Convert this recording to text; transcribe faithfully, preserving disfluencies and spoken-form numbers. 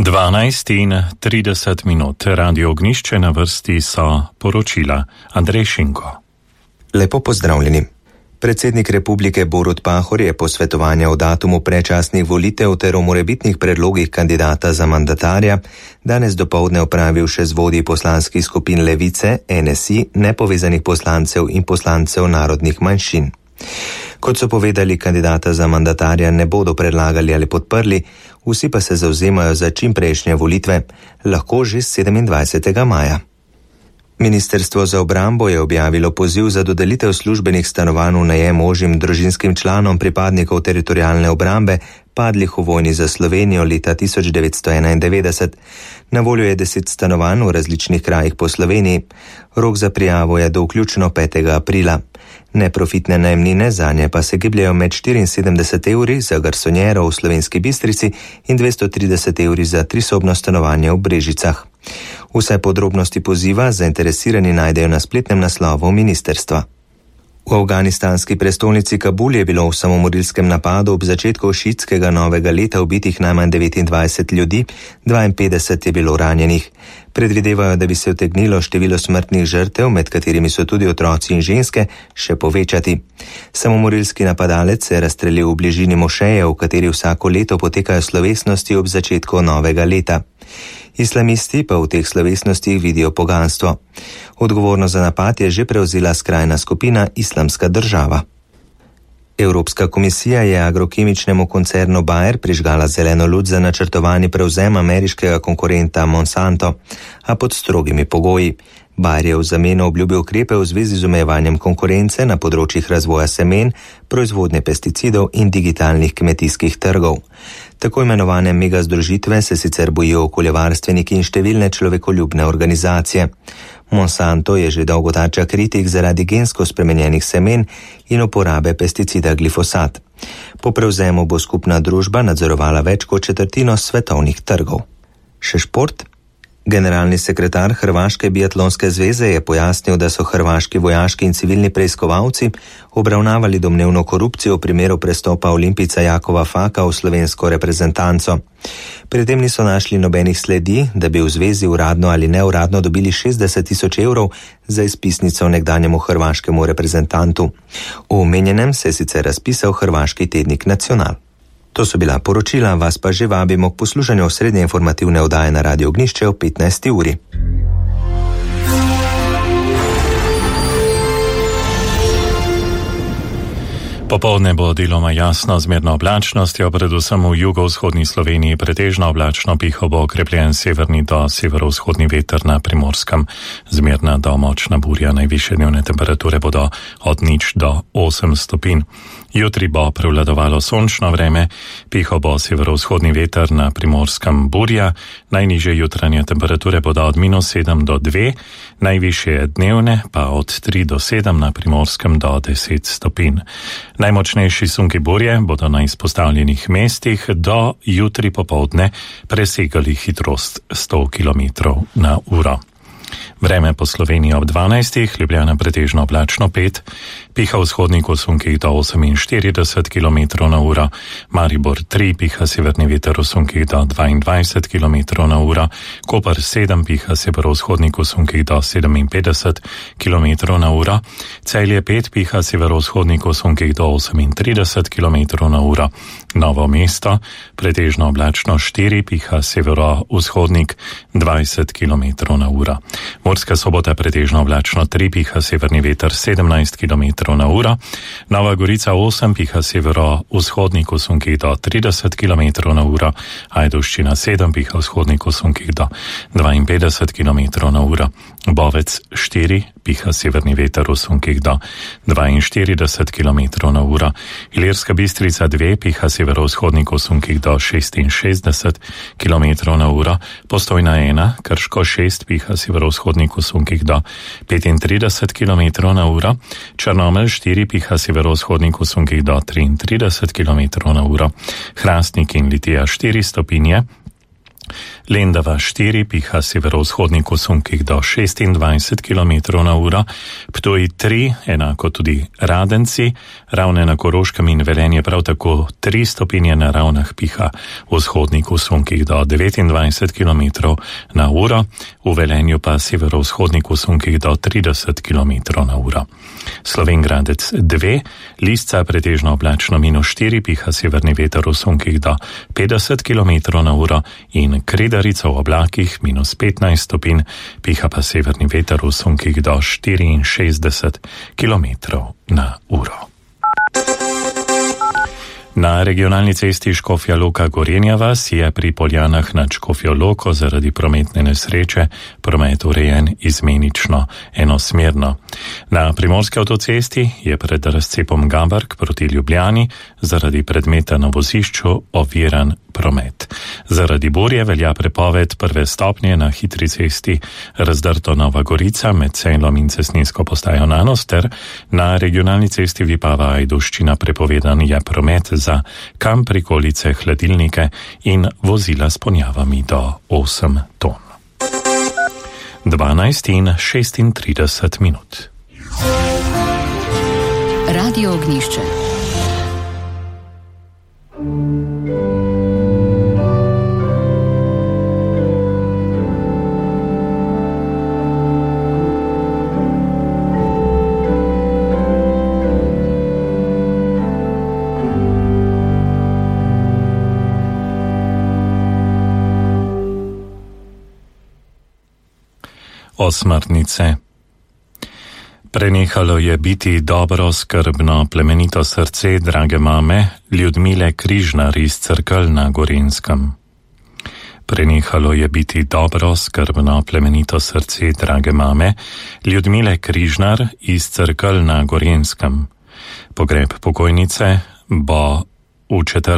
dvanajst in trideset minut. Radio Ognišče, na vrsti so poročila. Andrej Šinko. Lepo pozdravljeni. Predsednik republike Borut Pahor je posvetovanja o datumu predčasnih volitev ter o morebitnih predlogih kandidata za mandatarja danes dopoldne opravil še z vodji poslanskih skupin Levice, N S I, nepovezanih poslancev in poslancev narodnih manjšin. Kot so povedali, kandidata za mandatarja ne bodo predlagali ali podprli, vsi pa se zavzemajo za čimprejšnje volitve, lahko že sedemindvajsetega maja. Ministrstvo za obrambo je objavilo poziv za dodelitev službenih stanovanj v najem ožjim družinskim članom pripadnikov teritorialne obrambe, padlih v vojni za Slovenijo leta tisoč devetsto enaindevetdeset. Na voljo je deset stanovanj v različnih krajih po Sloveniji. Rok za prijavo je do vključno petega aprila. Neprofitne najemnine zanje pa se gibljajo med štiriinsedemdeset evri za garsonjero v Slovenski Bistrici in dvesto trideset evri za trisobno stanovanje v Brežicah. Vse podrobnosti poziva zainteresirani najdejo na spletnem naslovu ministrstva. V afganistanski prestolnici Kabul je bilo v samomorilskem napadu ob začetku šiitskega novega leta ubitih najmanj devetindvajset ljudi, dvainpetdeset je bilo ranjenih. Predvidevajo, da bi se utegnilo število smrtnih žrtev, med katerimi so tudi otroci in ženske, še povečati. Samomorilski napadalec se je razstrelil v bližini mošeje, v kateri vsako leto potekajo slovesnosti ob začetku novega leta. Islamisti pa v teh slovesnostih vidijo poganstvo. Odgovornost za napad je že prevzela skrajna skupina Islamska država. Evropska komisija je agrokemičnemu koncernu Bayer prižgala zeleno luč za načrtovani prevzem ameriškega konkurenta Monsanto, a pod strogimi pogoji. Bayer je v zameno obljubil ukrepe v zvezi z omejevanjem konkurence na področjih razvoja semen, proizvodnje pesticidov in digitalnih kmetijskih trgov. Tako imenovane mega združitve se sicer bojijo okoljevarstveniki in številne človekoljubne organizacije. Monsanto je že dolgo tarča kritik zaradi gensko spremenjenih semen in uporabe pesticida glifosat. Po prevzemu bo skupna družba nadzorovala več kot četrtino svetovnih trgov. Še šport? Generalni sekretar Hrvaške biatlonske zveze je pojasnil, da so hrvaški vojaški in civilni preiskovalci obravnavali domnevno korupcijo v primeru prestopa olimpijca Jakova Faka v slovensko reprezentanco. Pri tem niso našli nobenih sledi, da bi v zvezi uradno ali neuradno dobili šestdeset tisoč evrov za izpisnico nekdanjemu hrvaškemu reprezentantu. V omenjenem se je sicer razpisal hrvaški tednik Nacional. To so bila poročila, vas pa že vabimo k poslušanju srednje informativne oddaje na Radio Ognišče ob petnajsti uri. Popoldne bo deloma jasno z zmerno oblačnostjo, predvsem v jugovzhodni Sloveniji pretežno oblačno, piho bo okrepljen severni do severovzhodni veter na Primorskem. Zmerna do močna burja, najvišje dnevne temperature bodo od nič do osem stopinj. Jutri bo prevladovalo sončno vreme, piho bo severovzhodni veter na Primorskem burja, najnižje jutranje temperature bodo od minus sedem do dve, najvišje dnevne pa od tri do sedem, na Primorskem do deset stopinj. Najmočnejši sunki burje bodo na izpostavljenih mestih do jutri popoldne presegali hitrost sto kilometrov na uro. Vreme po Sloveniji ob dvanajstih, Ljubljana pretežno oblačno pet, piha vzhodnik v sunkih do oseminštirideset kilometrov na uro, Maribor tri, piha severni veter v sunkih do dvaindvajset kilometrov na uro, Koper sedem, piha severovzhodnik v sunkih do sedeminpetdeset kilometrov na uro, Celje pet, piha severovzhodnik v sunkih do osemintrideset kilometrov na uro, Novo mesto pretežno oblačno štiri, piha severovzhodnik dvajset kilometrov na uro. Murska Sobota pretežno oblačno tri, piha severni veter sedemnajst kilometrov na uro, Nova Gorica osem, piha severovzhodnik v sunkih do trideset kilometrov na uro, Ajdovščina sedem, piha vzhodnik v sunkih do dvainpetdeset kilometrov na uro, Bovec štiri, piha severni veter v sunkih do dvainštirideset kilometrov na uro, Ilirska Bistrica dve, piha severovzhodnik v sunkih do šestinšestdeset kilometrov na uro, Postojna ena, Krško šest, piha severovzhodnik v sunkih do petintrideset kilometrov na uro, Črnomelj štiri, piha severovzhodnik v sunkih do triintrideset kilometrov na uro, Hrastnik in Litija štiri stopinje, Lendava štiri piha severovzhodnih kosunkih do šestindvajset kilometrov na uro, Ptuj tri, enako tudi Radenci, Ravne na Koroškem in Velenje prav tako tri stopinje na Ravnah piha vzhodnih kosunkih do devetindvajset kilometrov na uro, v Velenju pa severovzhodnih kosunkih do trideset kilometrov na uro. Slovenj Gradec dve, Lisca pretežno oblačno minus štiri, piha severni veter v sunkih do petdeset kilometrov na uro in Kredarica v oblakih minus petnajst stopinj, piha pa severni veter v sunkih do štiriinšestdeset kilometrov na uro. Na regionalni cesti Škofja Loka Gorenja vas je pri Poljanah nad Škofjo Loko zaradi prometne nesreče promet urejen izmenično enosmerno. Na primorski avtocesti je pred razcepom Gabark proti Ljubljani zaradi predmeta na vozišču oviran promet. Zaradi burje velja prepoved prve stopnje na hitri cesti Razdrto Nova Gorica med Sejlom in cestninsko postajo Nanos ter na regionalni cesti Vipava Ajduščina prepovedan je promet za kam prikolice, hladilnike in vozila s ponjavami do osem ton. dvanajst in šestintrideset minut. Radio Ognjišče. Osmrtnice. Prenehalo je biti dobro, skrbno, plemenito srce drage mame Ljudmile Križnar iz Cerkelj na Gorenjskem. Prenehalo je biti dobro, skrbno, plemenito srce drage mame Ljudmile Križnar iz Cerkelj na Gorenjskem. Pogreb pokojnice bo v četrtek